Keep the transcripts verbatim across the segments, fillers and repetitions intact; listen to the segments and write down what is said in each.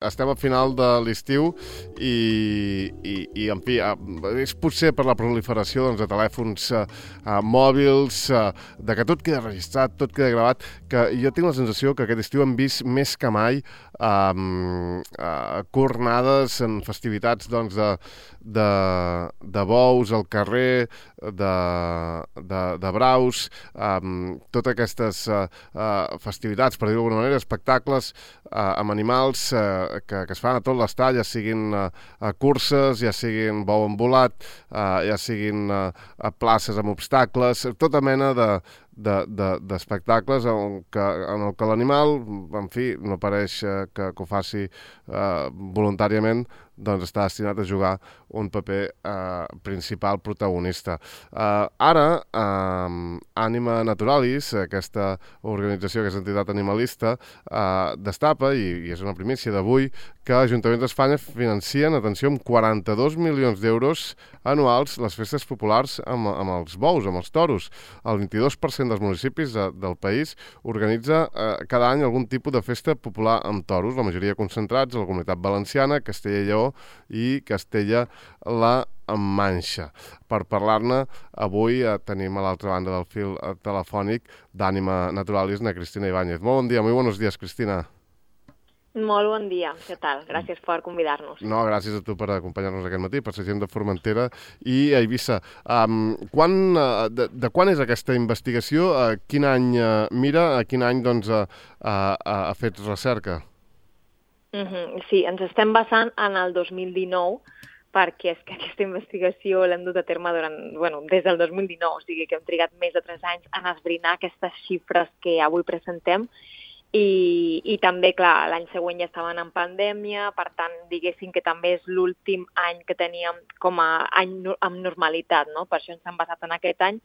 Estem al final de l'estiu i, i, i, en fi, és potser per la proliferació doncs, de telèfons eh, mòbils, eh, de que tot queda registrat, tot queda gravat, que jo tinc la sensació que aquest estiu hem vist més que mai eh, eh, cornades en festivitats doncs, de, de, de bous al carrer, de, de, de braus, eh, totes aquestes eh, eh, festivitats, per dir-ho d'alguna manera, espectacles eh, amb animals eh, Que, que es fan a tot l'estat, ja siguin uh, a curses, ja siguin bou embolat, uh, ja siguin uh, a places amb obstacles, tota mena de, de, de, d'espectacles en, que, en el que l'animal, en fi, no pareix uh, que, que ho faci uh, voluntàriament, doncs està destinat a jugar un paper eh, principal protagonista. Eh, ara, eh, Anima Naturalis, aquesta organització, aquesta entitat animalista, eh, destapa, i, i és una primícia d'avui, que Ajuntaments d'Espanya financien, atenció, amb quaranta-dos milions d'euros anuals les festes populars amb, amb els bous, amb els toros. El vint-i-dos per cent dels municipis de, del país organitza eh, cada any algun tipus de festa popular amb toros, la majoria concentrats a la Comunitat Valenciana, Castella i Lleó i Castella-la Manxa. Per parlar-ne, avui eh, tenim a l'altra banda del fil eh, telefònic d'Ànima Naturalis, na Cristina Ibáñez. Molt bon dia, muy buenos días, Cristina. Molt bon dia, què tal? Gràcies per convidar-nos. No, gràcies a tu per acompanyar-nos aquest matí, per ser gent de Formentera i Eivissa. Um, quan, uh, de, de quan és aquesta investigació? Uh, quin any uh, mira? A quin any doncs, uh, uh, ha fet recerca? Uh-huh. Sí, ens estem basant en el dos mil dinou, perquè és que aquesta investigació l'hem dut a terme durant, bueno, des del dos mil dinou, o sigui que hem trigat més de tres anys en esbrinar aquestes xifres que avui presentem. I, i també, clar, l'any següent ja estaven en pandèmia, per tant, diguéssim que també és l'últim any que teníem com a any no, amb normalitat, no? Per això ens hem basat en aquest any,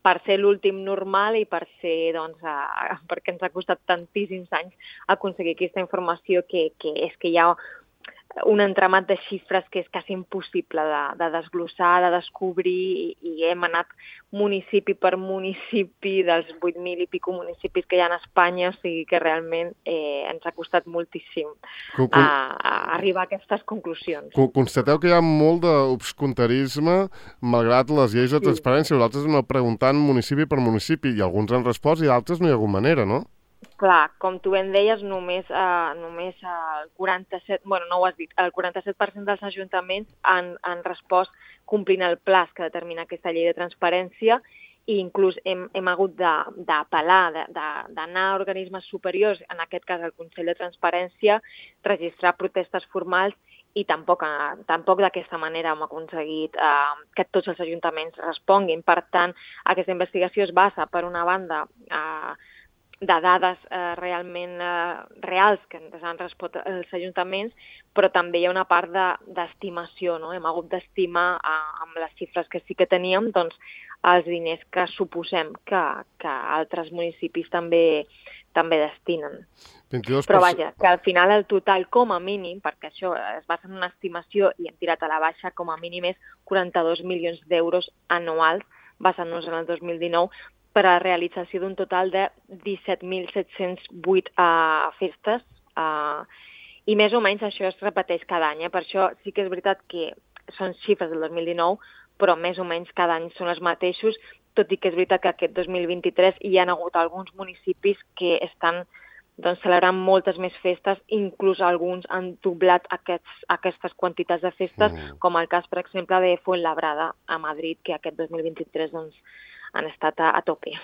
per ser l'últim normal i per ser, doncs, a, perquè ens ha costat tantíssims anys aconseguir aquesta informació que, que és que hi ha un entramat de xifres que és quasi impossible de, de desglossar, de descobrir, i, i hem anat municipi per municipi dels vuit mil i pico municipis que hi ha a Espanya, o sigui que realment eh, ens ha costat moltíssim con, con... A, a arribar a aquestes conclusions. Constateu que hi ha molt d'obscuntarisme, malgrat les lleis de transparència. Vosaltres aneu preguntant municipi per municipi, i alguns han respost i d'altres no hi ha hagut manera, no? Clar, com tu ben deies, només, eh, només el quaranta-set, bueno, no ho has dit, el quaranta-set per cent dels ajuntaments han, han respost complint el pla que determina aquesta llei de transparència, i inclús hem, hem hagut d'apel·lar, d'anar a organismes superiors, en aquest cas el Consell de Transparència, registrar protestes formals, i tampoc, tampoc d'aquesta manera hem aconseguit eh, que tots els ajuntaments responguin. Per tant, aquesta investigació es basa, per una banda, eh, de dades eh, realment eh, reals que ens han respost els ajuntaments, però també hi ha una part d'estimació, no? Hem hagut d'estimar eh, amb les xifres que sí que teníem, doncs, els diners que suposem que, que altres municipis també, també destinen. vint-i-dos per cent. Però vaja, que al final el total com a mínim, perquè això es basa en una estimació i hem tirat a la baixa, com a mínim és quaranta-dos milions d'euros anuals, basant-nos en el dos mil dinou, per a la realització d'un total de disset mil set-cents vuit uh, festes, uh, i més o menys això es repeteix cada any. Eh? Per això sí que és veritat que són xifres del dos mil dinou, però més o menys cada any són els mateixos, tot i que és veritat que aquest dos mil vint-i-tres hi ha hagut alguns municipis que estan doncs, celebrant moltes més festes, inclús alguns han doblat aquests, aquestes quantitats de festes, mm. com el cas, per exemple, de Fuenlabrada a Madrid, que aquest dos mil vint-i-tres doncs, han estat a, a tope,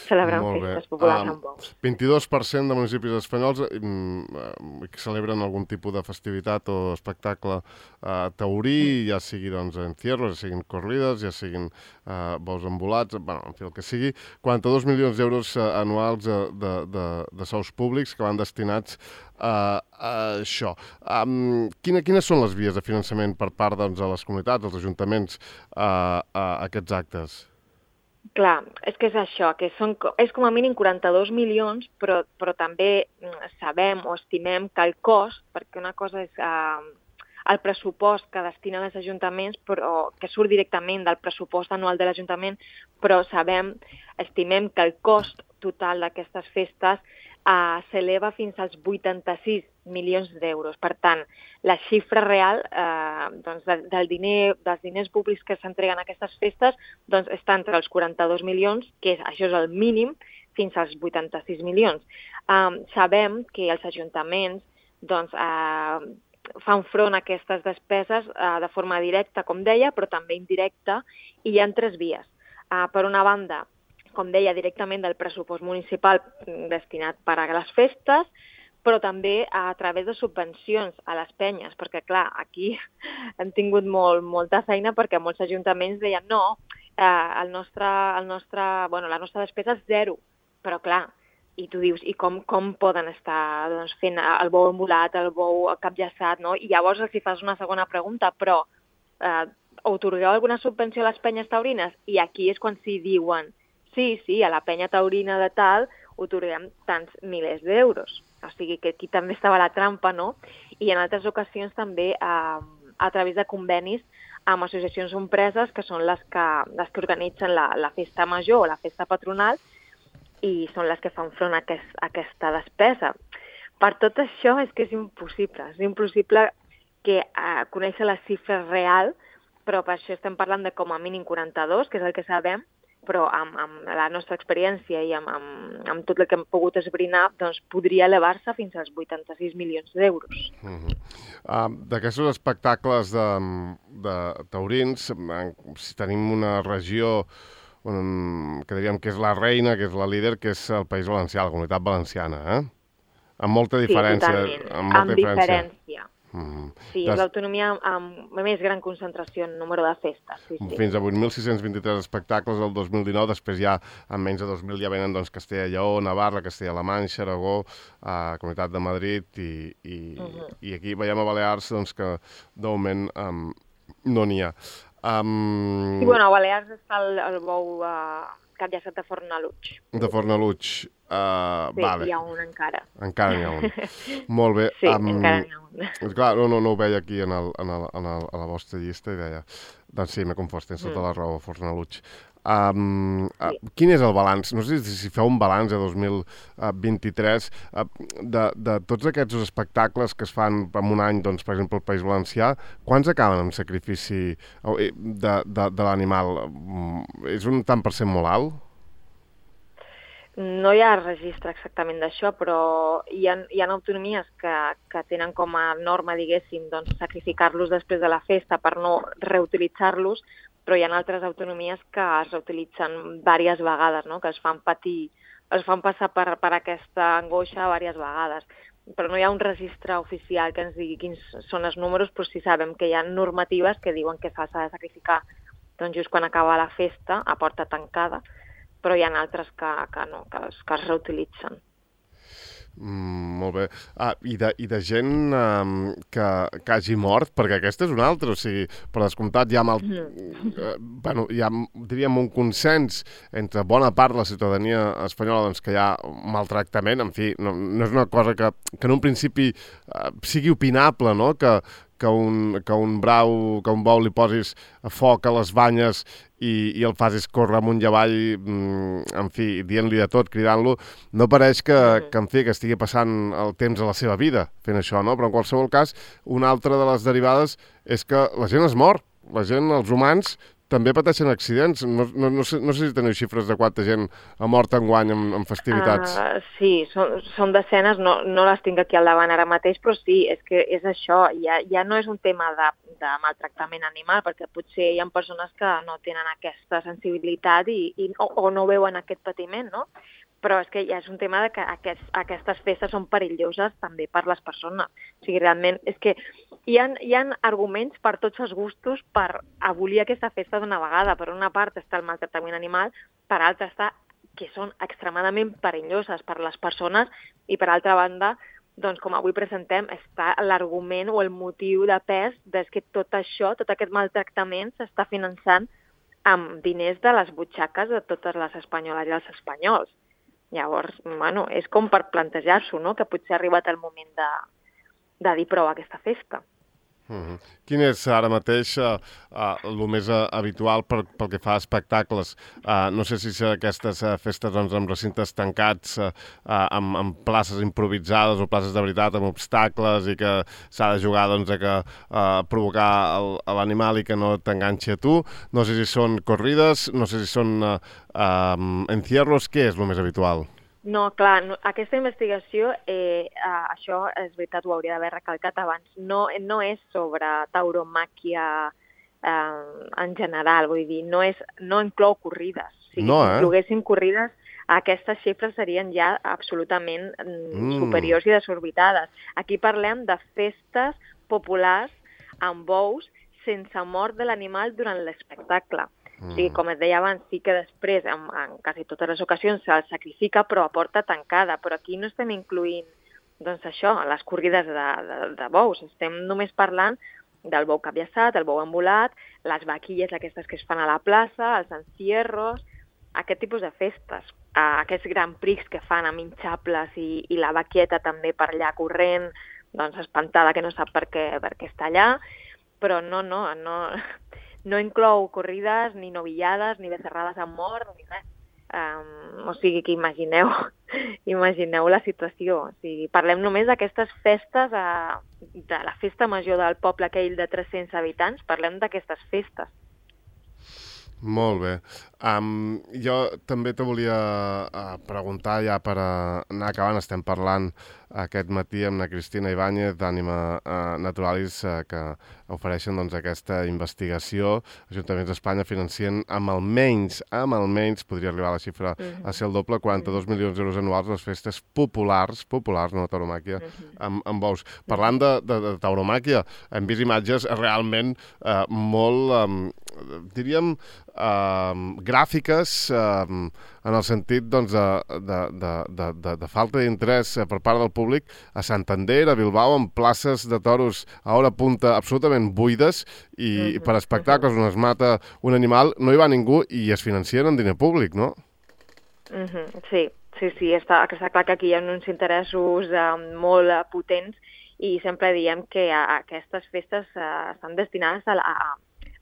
celebrant festes populars um, amb bous. vint-i-dos per cent de municipis espanyols mm, que celebren algun tipus de festivitat o espectacle uh, taurí, mm. ja sigui doncs, encierros, ja siguin corrides, ja siguin uh, bous embolats, bueno, en fi, el que sigui, quaranta-dos milions d'euros uh, anuals uh, de, de, de sous públics que van destinats uh, a això. Um, quina, quines són les vies de finançament per part doncs, de les comunitats, dels ajuntaments, uh, a aquests actes? Clar, és que és això, que són, és com a mínim quaranta-dos milions, però, però també sabem o estimem que el cost, perquè una cosa és eh, el pressupost que destinen els ajuntaments, però que surt directament del pressupost anual de l'Ajuntament, però sabem, estimem que el cost total d'aquestes festes eh, s'eleva fins als vuitanta-sis milions d'euros. Per tant, la xifra real eh, doncs de, del diner, dels diners públics que s'entreguen a aquestes festes doncs està entre els quaranta-dos milions, que és, això és el mínim, fins als vuitanta-sis milions. Um, sabem que els ajuntaments doncs, eh, fan front a aquestes despeses eh, de forma directa, com deia, però també indirecta, i hi ha tres vies. Uh, per una banda, com deia, directament del pressupost municipal destinat per a les festes, però també a través de subvencions a les penyes, perquè, clar, aquí hem tingut molt, molta feina perquè molts ajuntaments deien no, eh, el nostre, el nostre, bueno, la nostra despesa és zero, però, clar, i tu dius, i com, com poden estar doncs, fent el bou embolat, el bou capllaçat, no? I llavors els hi fas una segona pregunta, però eh, atorgueu alguna subvenció a les penyes taurines? I aquí és quan s'hi diuen, sí, sí, a la penya taurina de tal atorguem tants milers d'euros. O sigui que aquí també estava la trampa, no? I en altres ocasions també eh, a través de convenis amb associacions o empreses que són les que, les que organitzen la, la festa major o la festa patronal i són les que fan front a, aquest, a aquesta despesa. Per tot això és que és impossible. És impossible que eh, conèixer la xifra real, però per això estem parlant de com a mínim quaranta-dos, que és el que sabem, però amb, amb la nostra experiència i amb, amb, amb tot el que hem pogut esbrinar, doncs podria elevar-se fins als vuitanta-sis milions d'euros. Uh -huh. uh, D'aquests espectacles de, de taurins, si tenim una regió on, que diríem que és la reina, que és la líder, que és el País Valencià, la Comunitat Valenciana, eh? Amb molta diferència. Sí, totalment, amb, molta amb diferència. diferència. Mm. Sí, és l'autonomia amb més gran concentració en número de festes. Sí, sí. Fins a vuit mil sis-cents vint-i-tres espectacles el dos mil dinou, després ja en menys de dos mil ja venen doncs, Castella i Lleó, Navarra, Castella-La Manxa, Aragó, eh, Comunitat de Madrid i, i, uh -huh. i aquí veiem a Balears doncs, que de moment um, no n'hi ha. Um... Sí, bueno, a Balears està el, el bou uh, capllaçat de Fornalutx. De Fornalutx. Uh, sí, vale. Hi ha un encara. Encara n'hi ha un. Molt bé. Sí, um, encara n'hi ha un. Clar, no, no, no ho veia aquí en el, en el, en el, a la vostra llista i deia... Doncs sí, m'he confós, tens tota mm. la raó, Fornalutx. Um, sí. uh, quin és el balanç? No sé si, si feu un balanç de dos mil vint-i-tres uh, de, de tots aquests espectacles que es fan en un any, doncs, per exemple, al País Valencià, quants acaben amb sacrifici de, de, de l'animal? És un tant per cent molt alt? No hi ha registre exactament d'això, però hi ha, hi ha autonomies que, que tenen com a norma, diguéssim, doncs, sacrificar-los després de la festa per no reutilitzar-los, però hi ha altres autonomies que es reutilitzen diverses vegades, no? Que es fan patir, es fan passar per, per aquesta angoixa diverses vegades. Però no hi ha un registre oficial que ens digui quins són els números, però sí sabem que hi ha normatives que diuen que s'ha de sacrificar doncs, just quan acaba la festa, a porta tancada, però hi ha altres que, que no, que es, que es reutilitzen. Mm, molt bé. Ah, i, de, I de gent um, que, que hagi mort, perquè aquesta és una altra, o sigui, per descomptat hi ha, mal, mm. eh, bueno, hi ha, diríem, un consens entre bona part de la ciutadania espanyola doncs, que hi ha maltractament, en fi, no, no és una cosa que, que en un principi eh, sigui opinable, no?, que, que un, que un brau, que un bou li posis a foc a les banyes i, i el facis córrer amunt i avall, en fi, dient-li de tot, cridant-lo, no pareix que, que, en fi, que estigui passant el temps a la seva vida fent això, no? Però en qualsevol cas, una altra de les derivades és que la gent es mor, la gent, els humans, també pateixen accidents. No, no, no, sé, no sé si teniu xifres de quanta gent ha mort enguany en, en festivitats. Uh, sí, són, són desenes, no, no les tinc aquí al davant ara mateix, però sí, és que és això, ja, ja no és un tema de, de maltractament animal, perquè potser hi ha persones que no tenen aquesta sensibilitat i, i, o, o no veuen aquest patiment, no? Però és que ja és un tema de que aquest, aquestes festes són perilloses també per les persones. O sigui, realment, és que hi ha, hi ha arguments per tots els gustos per abolir aquesta festa d'una vegada. Per una part està el maltractament animal, per altra està que són extremadament perilloses per les persones i per altra banda, doncs com avui presentem, està l'argument o el motiu de pes de que tot això, tot aquest maltractament s'està finançant amb diners de les butxaques de totes les espanyoles i els espanyols. Llavors, bueno, és com per plantejar-s'ho, no?, que potser ha arribat el moment de, de dir prou a aquesta festa. Uh-huh. Quin és ara mateix uh, uh, el més uh, habitual per, pel que fa a espectacles? Uh, no sé si són aquestes uh, festes doncs, amb recintes tancats, uh, uh, amb, amb places improvisades o places de veritat, amb obstacles i que s'ha de jugar doncs, a que, uh, provocar el, l'animal i que no t'enganxi a tu. No sé si són corrides, no sé si són uh, um, encierros. Què és el més habitual? No, clar, no, aquesta investigació, eh, eh, això és veritat, ho hauria d'haver recalcat abans, no, no és sobre tauromàquia eh, en general, vull dir, no, és, no inclou corrides. Si no, eh? incloguéssim corrides, aquestes xifres serien ja absolutament mm. superiors i desorbitades. Aquí parlem de festes populars amb bous sense mort de l'animal durant l'espectacle. O sigui, com et deia abans, sí que després, en, en quasi totes les ocasions, se'l sacrifica, però a porta tancada. Però aquí no estem incloent, doncs això, les corrides de, de, de bous. Estem només parlant del bou capllaçat, el bou embolat, les vaquilles aquestes que es fan a la plaça, els encierros, aquest tipus de festes. Uh, aquests Grand Prix que fan amb hinxables i, i la vaquieta també per allà corrent, doncs espantada que no sap per què, per què està allà. Però no, no, no... No inclou corrides, ni novillades, ni becerrades amb mort, ni res. Um, o sigui que imagineu, imagineu la situació. O sigui, parlem només d'aquestes festes, uh, de la festa major del poble aquell de tres-cents habitants, parlem d'aquestes festes. Molt bé. Um, jo també te volia uh, preguntar, ja per uh, anar acabant, estem parlant aquest matí amb la Cristina Ibáñez d'Ànima uh, Naturalis, uh, que ofereixen doncs, aquesta investigació. Ajuntaments d'Espanya financien amb almenys, amb almenys, podria arribar a la xifra uh-huh. a ser el doble, quaranta-dos milions d'euros anuals les festes populars, populars, no tauromàquia, uh-huh. amb, amb bous. Parlant de, de, de tauromàquia, hem vist imatges realment uh, molt, um, diríem, uh, gràfiques, uh, en el sentit doncs, de, de, de, de, de, de falta d'interès per part del públic a Santander, a Bilbao, amb places de toros a hora punta absolutament buides i uh-huh. per espectacles on es mata un animal no hi va ningú i es financien en diner públic, no? Uh-huh. Sí, sí, sí, està, està clar que aquí hi ha uns interessos uh, molt uh, potents i sempre diem que uh, aquestes festes uh, estan destinades a, a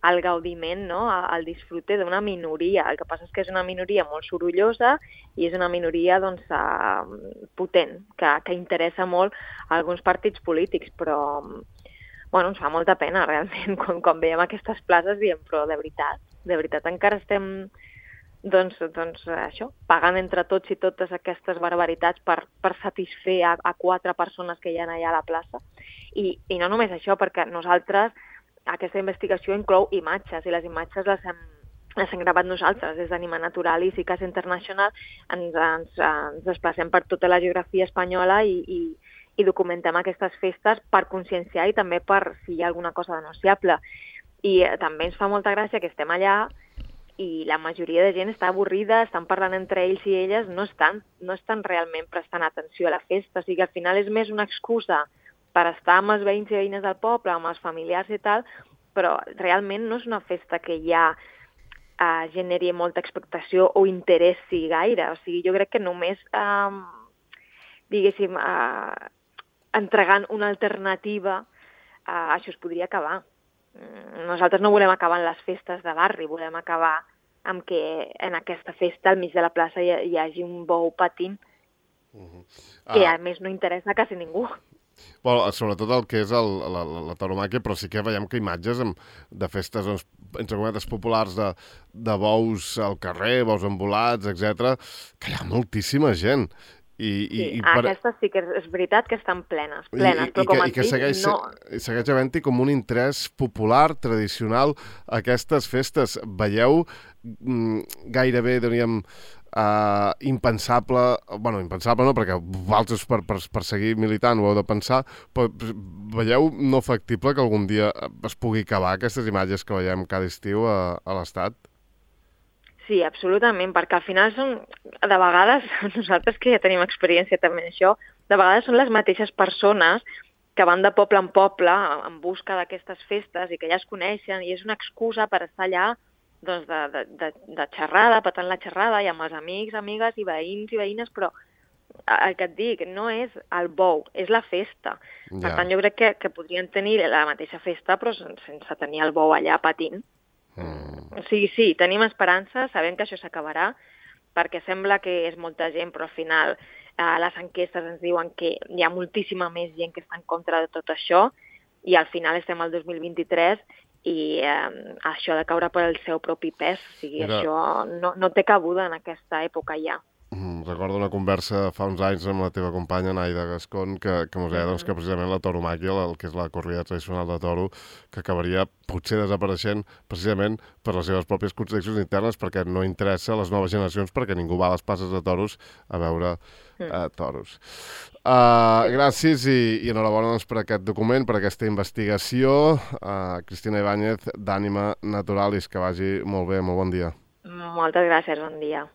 al gaudiment, no? Al disfrute d'una minoria. El que passa és que és una minoria molt sorollosa i és una minoria doncs, uh, potent, que, que interessa molt a alguns partits polítics, però bueno, ens fa molta pena realment quan, quan veiem aquestes places diem, però de veritat, de veritat encara estem doncs, doncs això, pagant entre tots i totes aquestes barbaritats per, per satisfer a, a quatre persones que hi ha allà a la plaça. I, i no només això, perquè nosaltres aquesta investigació inclou imatges i les imatges les hem, les hem gravat nosaltres des d'Ànima Natural i Cicas International. Ens, ens, ens desplacem per tota la geografia espanyola i, i, i documentem aquestes festes per conscienciar i també per si hi ha alguna cosa denunciable. I eh, també ens fa molta gràcia que estem allà i la majoria de gent està avorrida, estan parlant entre ells i elles, no estan, no estan realment prestant atenció a la festa. O sigui, al final és més una excusa per estar amb els veïns i veïnes del poble, amb els familiars i tal, però realment no és una festa que ja eh, generi molta expectació o interessi gaire. O sigui, jo crec que només, eh, diguéssim, eh, entregant una alternativa, eh, això es podria acabar. Nosaltres no volem acabar en les festes de barri, volem acabar amb que en aquesta festa, al mig de la plaça, hi, hi hagi un bou patint, uh-huh. ah. que a més no interessa a quasi ningú. Bueno, sobretot el que és el, la, la, la tauromàquia, però sí que veiem que imatges amb, de festes, doncs, entre cometes, populars de, de bous al carrer, bous embolats, etcètera, que hi ha moltíssima gent. I, sí, i, i per... aquestes sí que és veritat que estan plenes, plenes, I, i, però com que, et dic, segueix, no... I segueix havent-hi com un interès popular, tradicional, a aquestes festes. Veieu mm, gairebé, diríem, Uh, impensable, bueno, impensable no, perquè vosaltres per, per, per seguir militant ho heu de pensar, però veieu no factible que algun dia es pugui acabar aquestes imatges que veiem cada estiu a, a l'Estat? Sí, absolutament, perquè al final són, de vegades, nosaltres que ja tenim experiència també en això, de vegades són les mateixes persones que van de poble en poble en busca d'aquestes festes i que ja es coneixen i és una excusa per estar allà doncs de, de, de, de xerrada, patant la xerrada i amb els amics, amigues i veïns i veïnes, però el que et dic, no és el bou, és la festa. Per Ja. tant, jo crec que, que podrien tenir la mateixa festa, però sen- sense tenir el bou allà patint. Mm. O sigui, sí, tenim esperança, sabem que això s'acabarà, perquè sembla que és molta gent, però al final eh, les enquestes ens diuen que hi ha moltíssima més gent que està en contra de tot això, i al final estem al dos mil vint-i-tres i eh, això ha de caure per el seu propi pes. O sigui, Mira. això no, no té cabuda en aquesta època ja. Mm, Recordo una conversa fa uns anys amb la teva companya, Naida Gascon, que, que ens deia doncs, que precisament la tauromàquia, el que és la corrida tradicional de toro, que acabaria potser desapareixent precisament per les seves pròpies contradiccions internes, perquè no interessa a les noves generacions, perquè ningú va a les passes de toros a veure eh, toros. Uh, gràcies i, i enhorabona doncs, per aquest document, per aquesta investigació. Uh, Cristina Ibáñez, d'Ànima Naturalis, que vagi molt bé, molt bon dia. Moltes gràcies, bon dia.